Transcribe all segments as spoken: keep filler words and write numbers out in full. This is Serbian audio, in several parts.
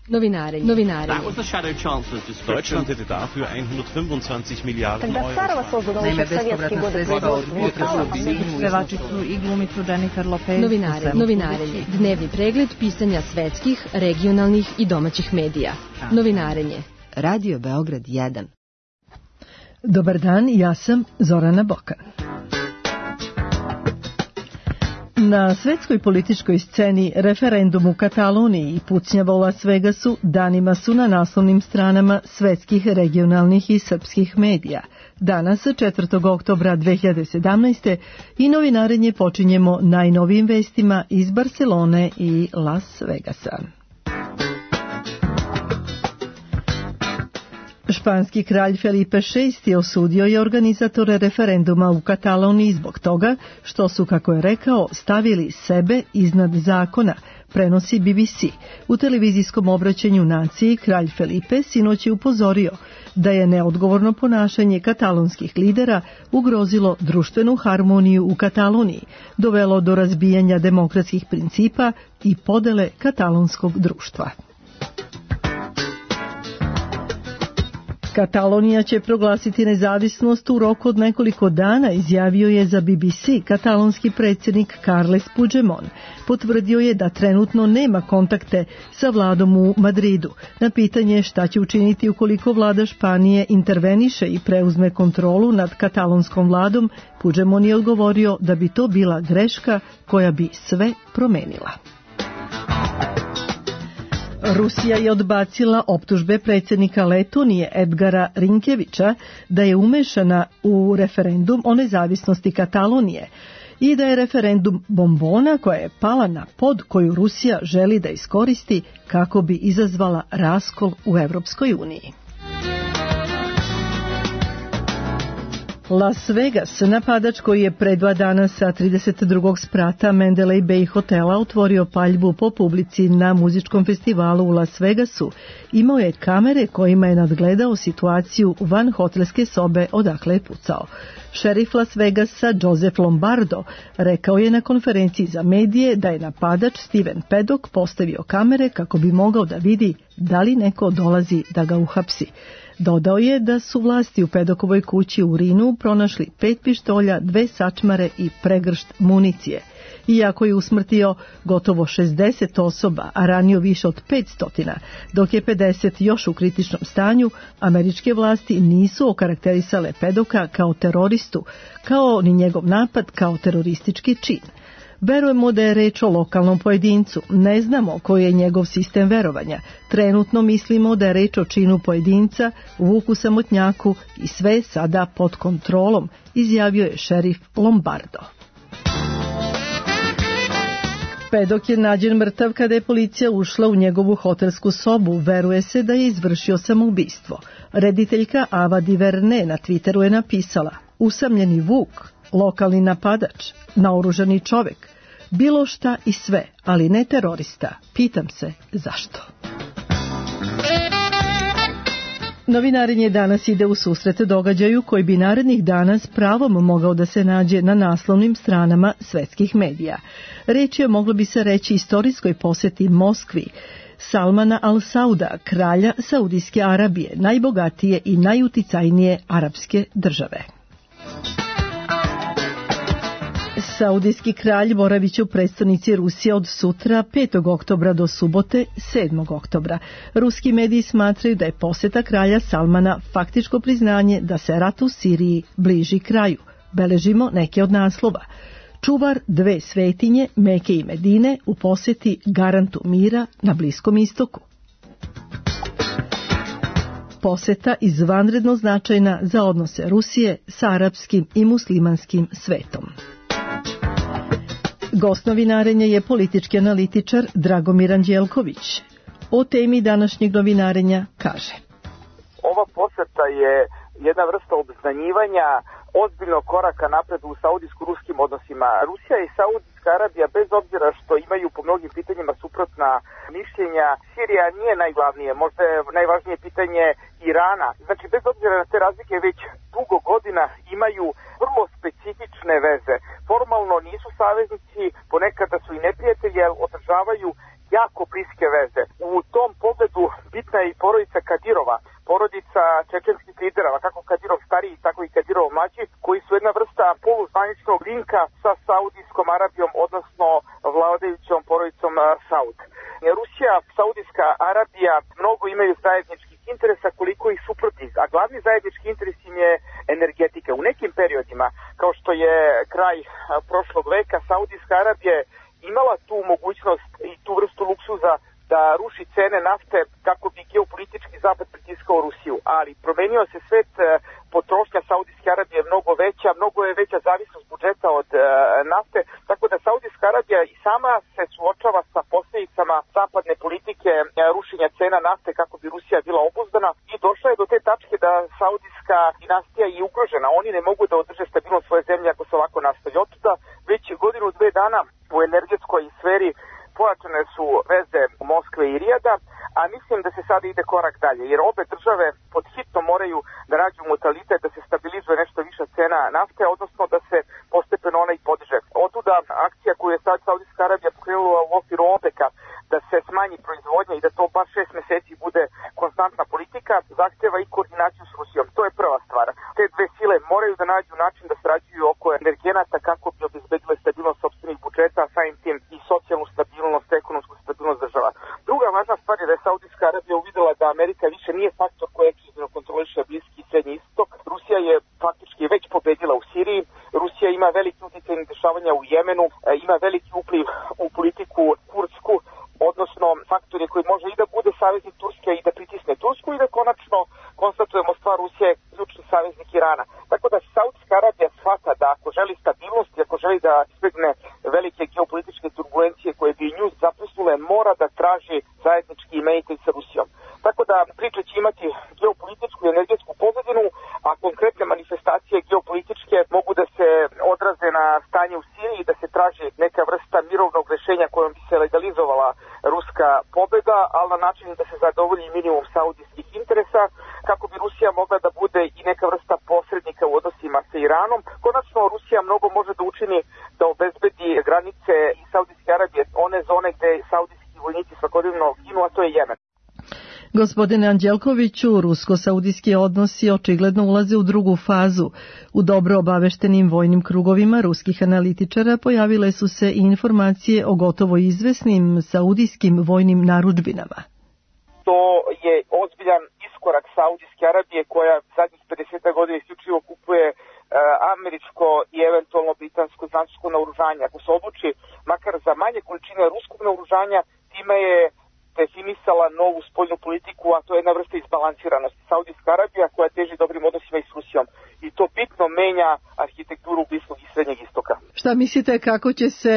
Novinarenje. Novinarenje. That was the shadow chancellor's description. Deutschland hätte dafür hundertfünfundzwanzig Milliarden Euro. Naime, bespovratna sredstva od pevačicu i glumicu Jennifer Lopez. Novinare, novinarenje. Dnevni pregled pisanja svetskih, regionalnih i domaćih medija. Novinarenje. Radio Beograd jedan. Dobar dan, ja sam Zorana Bokan. Na svetskoj političkoj sceni referendum u Kataloniji i pucnjava u Las Vegasu danima su na naslovnim stranama svetskih, regionalnih i srpskih medija. Danas, četvrtog oktobra dve hiljade sedamnaeste. i novinarenje počinjemo najnovijim vestima iz Barcelone i Las Vegasa. Španski kralj Felipe šesti. osudio je organizatore referenduma u Kataloniji zbog toga što su, kako je rekao, stavili sebe iznad zakona, prenosi B B C. U televizijskom obraćanju naciji kralj Felipe sinoć je upozorio da je neodgovorno ponašanje katalonskih lidera ugrozilo društvenu harmoniju u Kataloniji, dovelo do razbijanja demokratskih principa i podele katalonskog društva. Katalonija će proglasiti nezavisnost u roku od nekoliko dana, izjavio je za B B C katalonski predsjednik Carles Puigdemont. Potvrdio je da trenutno nema kontakte sa vladom u Madridu. Na pitanje šta će učiniti ukoliko vlada Španije interveniše i preuzme kontrolu nad katalonskom vladom, Puigdemont je odgovorio da bi to bila greška koja bi sve promenila. Rusija je odbacila optužbe predsjednika Letonije Edgara Rinkevića da je umešana u referendum o nezavisnosti Katalonije i da je referendum bombona koja je pala na pod koju Rusija želi da iskoristi kako bi izazvala raskol u Evropskoj uniji. Las Vegas, napadač koji je pre dva dana sa trideset drugog sprata Mandalay Bay hotela otvorio paljbu po publici na muzičkom festivalu u Las Vegasu, imao je kamere kojima je nadgledao situaciju van hotelske sobe odakle je pucao. Šerif Las Vegasa Joseph Lombardo rekao je na konferenciji za medije da je napadač Steven Paddock postavio kamere kako bi mogao da vidi da li neko dolazi da ga uhapsi. Dodao je da su vlasti u Pedokovoj kući u Rinu pronašli pet pištolja, dve sačmare i pregršt municije. Iako je usmrtio gotovo šezdeset osoba, a ranio više od petsto, dok je pedeset još u kritičnom stanju, američke vlasti nisu okarakterisale Pedoka kao teroristu, kao ni njegov napad kao teroristički čin. Verujemo da je reč o lokalnom pojedincu, ne znamo koji je njegov sistem verovanja. Trenutno mislimo da je reč o činu pojedinca, vuku samotnjaku i sve je sada pod kontrolom, izjavio je šerif Lombardo. Pedok je nađen mrtav kada je policija ušla u njegovu hotelsku sobu. Veruje se da je izvršio samoubistvo. Rediteljka Ava Diverne na Twitteru je napisala: usamljeni vuk, lokalni napadač, naoružani čovek, bilo šta i sve, ali ne terorista. Pitam se zašto. Novinarenje danas ide u susret događaju koji bi narednih dana s pravom mogao da se nađe na naslovnim stranama svetskih medija. Reč je, moglo bi se reći, istorijskoj posjeti Moskvi Salmana al-Sauda, kralja Saudijske Arabije, najbogatije i najuticajnije arapske države. Saudijski kralj boraviće u prestonici Rusije od sutra petog oktobra do subote sedmog oktobra. Ruski mediji smatraju da je posjeta kralja Salmana faktičko priznanje da se rat u Siriji bliži kraju. Beležimo neke od naslova. Čuvar dve svetinje, Meke i Medine, u posjeti garantu mira na Bliskom istoku. Posjeta izvanredno značajna za odnose Rusije sa arapskim i muslimanskim svetom. Gost novinarenja je politički analitičar Dragomir Anđelković. O temi današnjeg novinarenja kaže: ova posjeta je jedna vrsta obznanjivanja ozbiljnog koraka napred u saudijsko-ruskim odnosima. Rusija i Saudijska Arabija, bez obzira što imaju po mnogim pitanjima suprotna mišljenja, Sirija nije najglavnije, možda je najvažnije pitanje Irana. Znači, bez obzira na te razlike, već dugo godina imaju vrlo specifične veze. Formalno nisu saveznici, ponekada su i neprijatelji, jer održavaju jako bliske veze. U tom pogledu porodica Kadirova, porodica čečenskih lidera, kako Kadirov stariji, tako i Kadirov mlađi, koji su jedna vrsta poluzvaničnog linka sa Saudijskom Arabijom, odnosno vladajućom porodicom Saud. Rusija, Saudijska Arabija mnogo imaju zajedničkih interesa koliko ih suprotnih, a glavni zajednički interes im je energetika. U nekim periodima, kao što je kraj prošlog veka, Saudijska Arabija imala tu mogućnost i tu vrstu luksuza da ruši cene nafte kako bi geopolitički zapad pritiskao Rusiju, ali promenio se svet, potrošnja Saudijske Arabije je mnogo veća, mnogo je veća zavisnost budžeta od e, nafte, tako da Saudijska Arabija i sama se suočava sa posljedicama zapadne politike e, rušenja cena nafte kako bi Rusija bila obuzdana i došla je do te tačke da Saudijska dinastija je ugrožena. Oni ne mogu da održe stabilnost svoje zemlje ako se ovako nastavi. Otuda već godinu, dve dana u energetskoj sferi pojačane su veze Moskve i Rijada, a mislim da se sada ide korak dalje, jer obe države pod hitno moraju da nađu modalitet da se stabilizuje nešto viša cena nafte, odnosno da se postepeno ona i podiže. Otuda akcija koju je sad Saudijska Arabija pokrenula u okviru OPEC-a da se smanji proizvodnja i da to baš šest meseci bude konstantna politika, zahtjeva i koordinaciju s Rusijom. To je prva stvar. Te dve sile moraju da nađu način da sarađuju oko energenata kako bi obezbedile stabilnost sopstvenih budžeta, a samim tim i socijalnu stabilnost, ekonomsku stabilnost država. Druga važna stvar je da je Saudijska Arabija uvidela da Amerika više nije faktor koji ekskluzivno kontroliše Bliski i Srednji istok. Rusija je faktički već pobedila u Siriji. Rusija ima veliki utjecaj na dešavanja u Jemenu, ima veliki upliv u politiku kurdsku, odnosno faktor je koji može i da bude saveznik Turske i da pritisne Tursku i da konačno konstatujemo stvar Rusije je ključni saveznik Irana. Tako da Saudijska Arabija shvata da ako želi stabilnost i ako želi da izbegne velike geopolitičke turbulencije koje bi nju zapljusnule, mora da traži zajednički imenitelj sa Rusijom. Tako da priča će imati geopolitičku i energetsku pozadinu, a konkretne manifestacije geopolitičke mogu da se odraze na stanje u Siriji i da se traži neka vrsta mirovnog rešenja kojom bi se legalizovala ruska pobeda, ali na način da se zadovolji minimum saudijskih interesa, kako bi Rusija mogla da bude i neka vrsta posrednika u odnosima sa Iranom. Konačno, Rusija mnogo može da učini da obezbedi granice i Saudijske Arabije, one zone gde saudijski vojnici svakodnevno ginu, a to je Jemen. Gospodine Anđelkoviću, rusko-saudijski odnosi očigledno ulaze u drugu fazu. U dobro obaveštenim vojnim krugovima ruskih analitičara pojavile su se i informacije o gotovo izvesnim saudijskim vojnim narudžbinama. To je ozbiljan iskorak Saudijske Arabije koja zadnjih pedeset godina isključivo kupuje e, američko i eventualno britansko značajsko naoružanje. Ako se odluči makar za manje količine ruskog naoružanja, time je definisala novu spoljnu politiku, a to je jedna vrsta izbalansiranosti. Saudijska Arabija koja teži dobrim odnosima i s Rusijom. I to bitno menja arhitekturu Bliskog i Srednjeg istoka. Šta mislite kako će se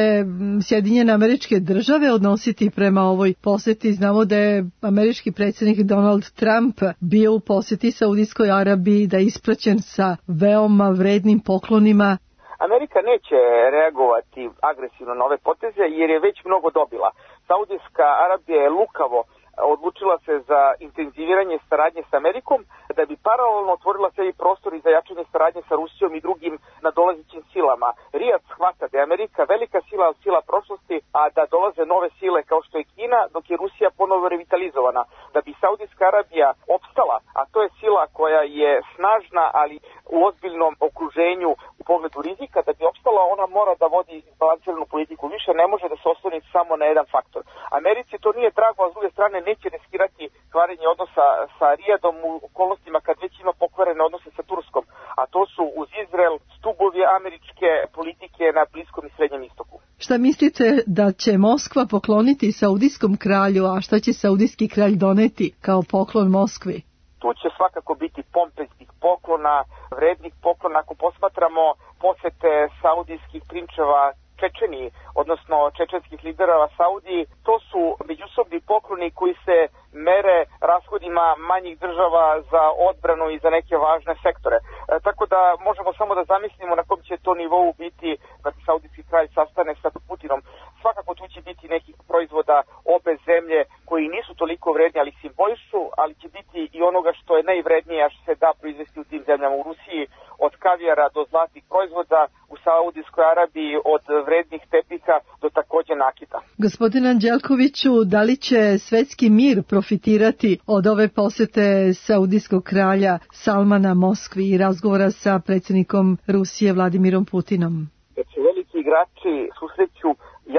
Sjedinjene Američke Države odnositi prema ovoj poseti? Znamo da je američki predsjednik Donald Trump bio u poseti Saudijskoj Arabiji, da je ispraćen sa veoma vrednim poklonima. Amerika neće reagovati agresivno na ove poteze jer je već mnogo dobila. Saudijska Arabija je lukavo odlučila se za intenziviranje saradnje s Amerikom da bi paralelno otvorila sebi prostor i za jačanje saradnje sa Rusijom i drugim nadolazećim silama. Rijad shvata da je Amerika velika sila od sila prošlosti, a da dolaze nove sile kao što je Kina, dok je Rusija ponovo revitalizovana. Da bi Saudijska Arabija opstala, a to je sila koja je snažna, ali u ozbiljnom okruženju u pogledu rizika, da bi opstala ona mora da vodi izbalansiranu politiku. Više ne može da se osloni samo na jedan faktor. Americi to nije drago, a s druge strane neće riskirati kvarenje odnosa sa Rijadom u okolnostima kad već ima pokvarene odnose sa Turskom, a to su uz Izrael stubovi američke politike na Bliskom i Srednjem istoku. Šta mislite da će Moskva pokloniti saudijskom kralju, a šta će saudijski kralj doneti kao poklon Moskvi? Tu će svakako biti pompeznih poklona, vrednih poklona. Ako posmatramo posete saudijskih prinčeva Čečeniji, odnosno čečenskih lidera Saudiji, to su međusobni pokloni koji se mere rashodima manjih država za odbranu i za neke važne sektore. E, tako da možemo samo da zamislimo na kom će to nivou biti kad saudijski kralj sastane sa Putinom. Svakako tu će biti nekih proizvoda obe zemlje koji nisu toliko vredni, ali simbolišu, ali će biti i onoga što je najvrednije, a što se da proizvesti u tim zemljama. U Rusiji od kavijara do zlatih proizvoda, u Saudijskoj Arabiji od vrednih tepiha do takođe nakita. Gospodine Anđelkoviću, da li će svetski mir profitirati od ove posete saudijskog kralja Salmana Moskvi i razgovora sa predsjednikom Rusije Vladimirom Putinom? Jer će veliki igrači susreću,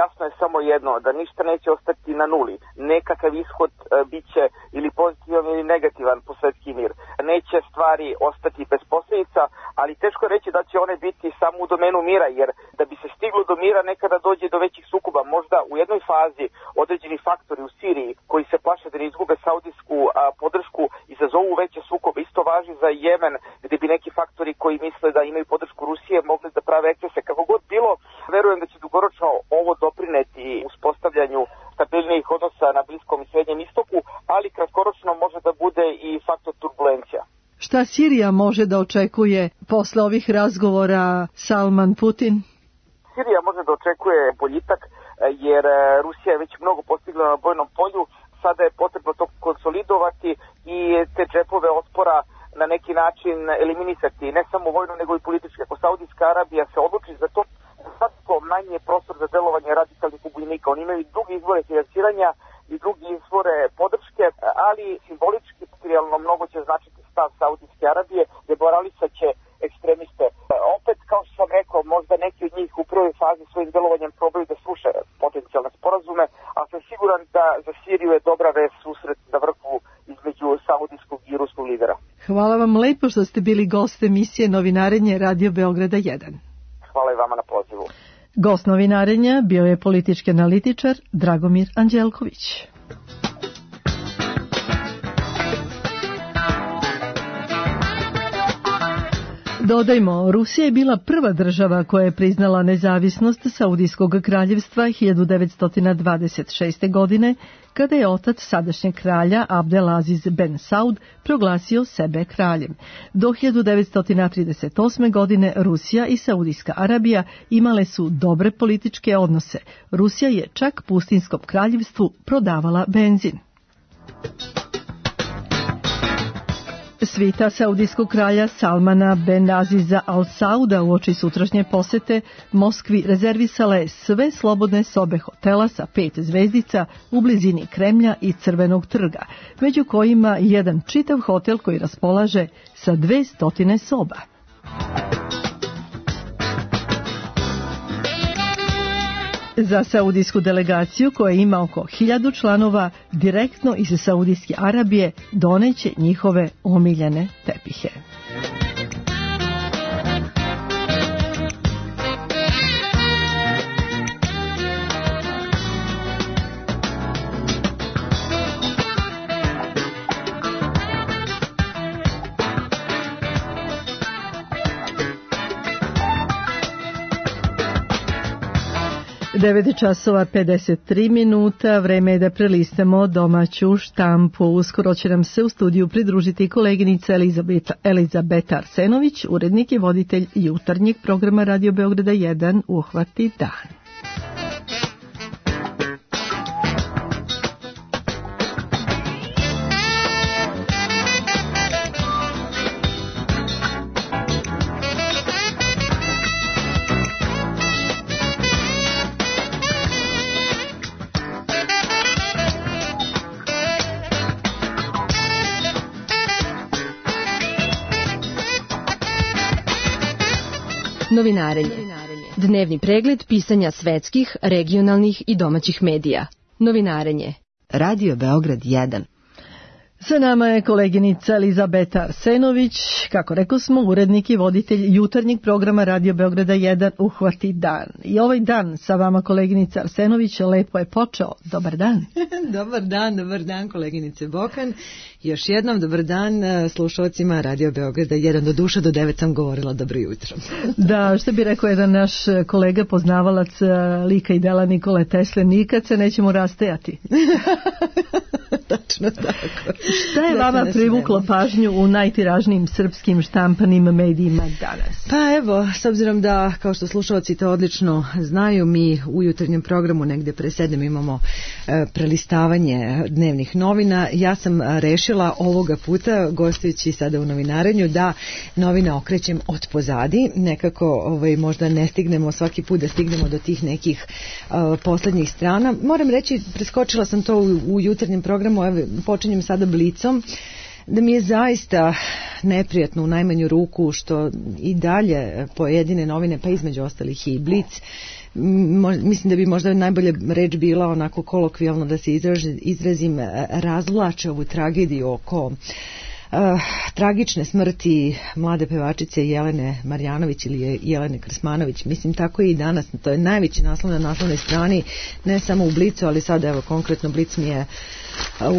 jasno je samo jedno, da ništa neće ostati na nuli. Nekakav ishod e, bit će ili pozitivan ili negativan po svetski mir. Neće stvari ostati bez posljedica, ali teško je reći da će one biti samo u domenu mira, jer da bi se stiglo do mira nekada dođe do većih sukoba. Možda u jednoj fazi određeni faktori u Siriji koji se plaše da ne izgube saudijsku a, podršku izazovu veće sukobe. Isto važi za Jemen, gdje bi neki faktori koji misle da imaju podršku Rusije mogli da prave ekscese. Kako god bilo, verujem da će dugoročno ovo doprineti uspostavljanju stabilnijih odnosa na Bliskom i Srednjem istoku, ali kratkoročno može da bude i faktor turbulencija. Šta Sirija može da očekuje posle ovih razgovora Salman-Putin? Sirija može da očekuje boljitak, jer Rusija je već mnogo postigla na bojnom polju. Sada je potrebno to konsolidovati i te džepove otpora na neki način eliminisati, ne samo vojno nego i politički. Ako Saudijska Arabija se odluči za to, svakako manje prostor za delovanje radikalnih pobunjenika. Oni imaju drugi izvore financiranja i drugi izvore podrške, ali simbolički, materijalno mnogo će značiti stav Saudijske Arabije, demoralisat će ekstremiste. Opet, kao što sam rekao, možda neki od njih u prvoj fazi svojim delovanjem probaju da sruše potencijalne sporazume, a sam siguran da za Siriju je dobra vest susret na vrhu između saudijskog i ruskog lidera. Hvala vam lepo što ste bili gost emisije Novinarenje Radio Beograda jedan. Hvala i vama na pozivu. Gost Novinarenja bio je politički analitičar Dragomir Anđelković. Dodajmo, Rusija je bila prva država koja je priznala nezavisnost Saudijskog kraljevstva hiljadu devetsto dvadeset šeste. godine, kada je otac sadašnjeg kralja Abdelaziz Ben Saud proglasio sebe kraljem. Do hiljadu devetsto trideset osme. godine Rusija i Saudijska Arabija imale su dobre političke odnose. Rusija je čak Pustinskom kraljevstvu prodavala benzin. Svita saudijskog kralja Salmana Ben Aziza Al Sauda uoči sutrašnje posete Moskvi rezervisala je sve slobodne sobe hotela sa pet zvezdica u blizini Kremlja i Crvenog trga, među kojima jedan čitav hotel koji raspolaže sa dve stotine soba. Za saudijsku delegaciju, koja ima oko hiljadu članova, direktno iz Saudijske Arabije doneće njihove omiljene tepihe. devet časova pedeset tri minuta, vreme je da prelistamo domaću štampu. Uskoro će nam se u studiju pridružiti koleginica Elizabeta, Elizabeta Arsenović, urednik i voditelj jutarnjeg programa Radio Beograda jedan Uhvati dan. Novinarenje. Dnevni pregled pisanja svetskih, regionalnih i domaćih medija. Novinarenje. Radio Beograd jedan. Sa nama je koleginica Elizabeta Arsenović, kako rekao smo, urednik i voditelj jutarnjeg programa Radio Beograda jedan Uhvati dan. I ovaj dan sa vama, koleginica Arsenović, lepo je počeo. Dobar dan. Dobar dan, dobar dan koleginice Bokan. Još jednom dobar dan slušalcima Radio Beograda jedan. Do duše do devet sam govorila dobro jutro. Da, što bi rekao jedan naš kolega poznavalac lika i dela Nikole Tesle, nikad se nećemo rastajati. Tačno tako. Šta je vama privuklo pažnju u najtiražnijim srpskim štampanim medijima danas? Pa evo, s obzirom da, kao što slušalci to odlično znaju, mi u jutarnjem programu negde pre sedam imamo prelistavanje dnevnih novina. Ja sam rešila ovoga puta, gostujući sada u novinarenju, da novine okrećem od pozadi. Nekako ovaj, možda ne stignemo svaki put da stignemo do tih nekih uh, poslednjih strana. Moram reći, preskočila sam to u, u jutarnjem programu, evo, počinjem sada Blicom, da mi je zaista neprijatno u najmanju ruku što i dalje pojedine novine, pa između ostalih i Blic, mislim da bi možda najbolje reč bila onako kolokvijalno da se izražim, izrazim razvlače ovu tragediju oko uh, tragične smrti mlade pevačice Jelene Marjanović ili Jelene Krsmanović. Mislim, tako je i danas, to je najveći naslov na naslovnoj strani, ne samo u Blicu, ali sad evo konkretno Blic mi je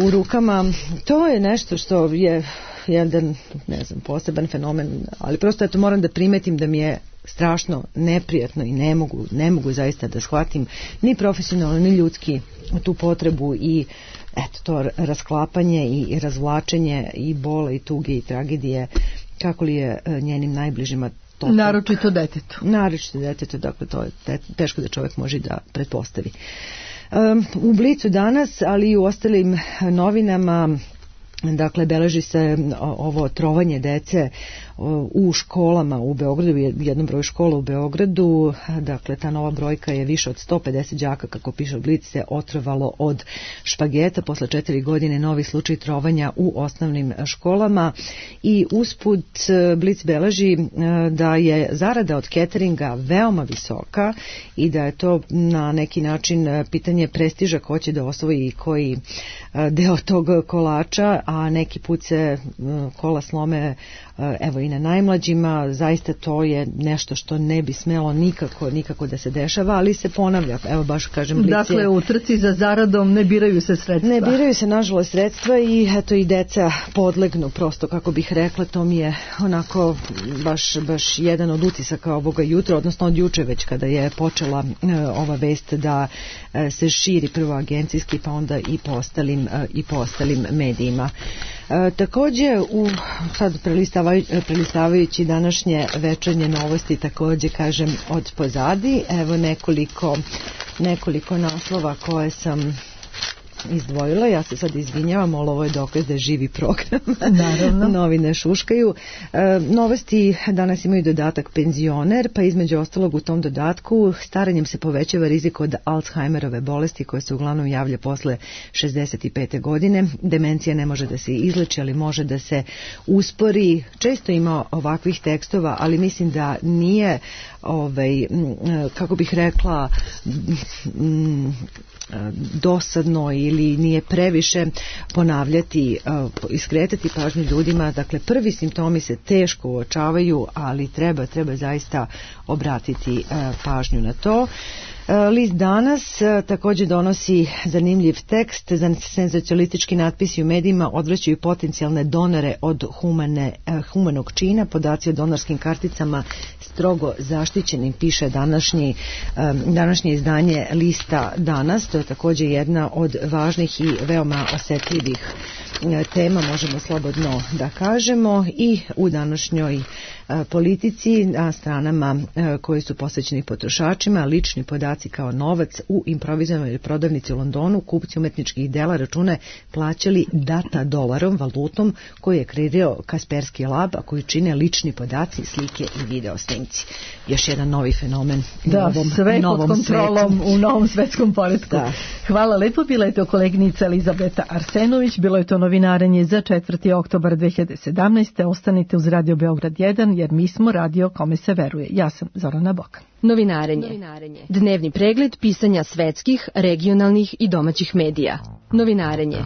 u rukama. To je nešto što je jedan, ne znam, poseban fenomen, ali prosto eto moram da primetim da mi je strašno neprijatno i ne mogu, ne mogu zaista da shvatim ni profesionalno ni ljudski tu potrebu i eto to rasklapanje i razvlačenje i bola i tuge i tragedije, kako li je njenim najbližima to. Naročito detetu. Naročito detetu, dakle to je teško da čovjek može da pretpostavi. Um, u Blicu danas, ali i u ostalim novinama, dakle, beleži se ovo trovanje dece u školama u Beogradu, jednom broju škola u Beogradu. Dakle, ta nova brojka je više od sto pedeset đaka, kako piše Blic, se otrovalo od špageta. Posle četiri godine novi slučaj trovanja u osnovnim školama i usput Blic beleži da je zarada od cateringa veoma visoka i da je to na neki način pitanje prestiža ko će da osvoji koji deo tog kolača, a neki put se kola slome evo i na najmlađima. Zaista to je nešto što ne bi smelo nikako, nikako da se dešava, ali se ponavlja. Evo baš kažem, Blic je... Dakle, u trci za zaradom ne biraju se sredstva. Ne biraju se, nažalost, sredstva i eto i deca podlegnu, prosto, kako bih rekla, to mi je onako baš, baš jedan od utisaka ovoga jutra, odnosno od juče već kada je počela e, ova vest da e, se širi prvo agencijski, pa onda i po ostalim, e, i po ostalim medijima. E, takođe, u, sad prelistavajući, prelistavajući današnje večernje novosti, takođe kažem od pozadi, evo nekoliko, nekoliko naslova koje sam izdvojila. Ja se sad izvinjavam, ali ovo je dokaz da je živi program. Naravno. Novine šuškaju. E, novosti danas imaju dodatak penzioner, pa između ostalog u tom dodatku staranjem se povećava rizik od Alzheimerove bolesti koja se uglavnom javlja posle šezdeset pete godine. Demencija ne može da se izleči, ali može da se uspori. Često ima ovakvih tekstova, ali mislim da nije ovaj, kako bih rekla, dosadno ili nije previše ponavljati, iskretati pažnju ljudima. Dakle, prvi simptomi se teško uočavaju, ali treba, treba zaista obratiti pažnju na to. List danas također donosi zanimljiv tekst. Za senzacionalistički natpisi u medijima odvraćaju potencijalne donore od humane, humanog čina. Podaci o donorskim karticama strogo zaštićenim, piše današnji, današnje izdanje Lista danas. To je također jedna od važnih i veoma osetljivih tema, možemo slobodno da kažemo, i u današnjoj politici na stranama koji su posvećeni potrošačima, lični podaci kao novac. U improvizovanoj prodavnici u Londonu kupci umetničkih dela račune plaćali data dolarom, valutom koju je kreirao Kaspersky Lab, a koju čine lični podaci, slike i video snimci. Još jedan novi fenomen da, u novom, sve novom pod kontrolom svetu. U novom svetskom poretku. Da. Hvala lepo, bila je to koleginica Elizabeta Arsenović, bilo je to novinarenje za četvrti oktobar dve hiljade sedamnaeste. Ostanite uz Radio Beograd jedan, jer mi smo radio kome se veruje. Ja sam Zorana Bokan. Novinarenje. Novinarenje. Dnevni pregled pisanja svetskih, regionalnih i domaćih medija. Novinarenje.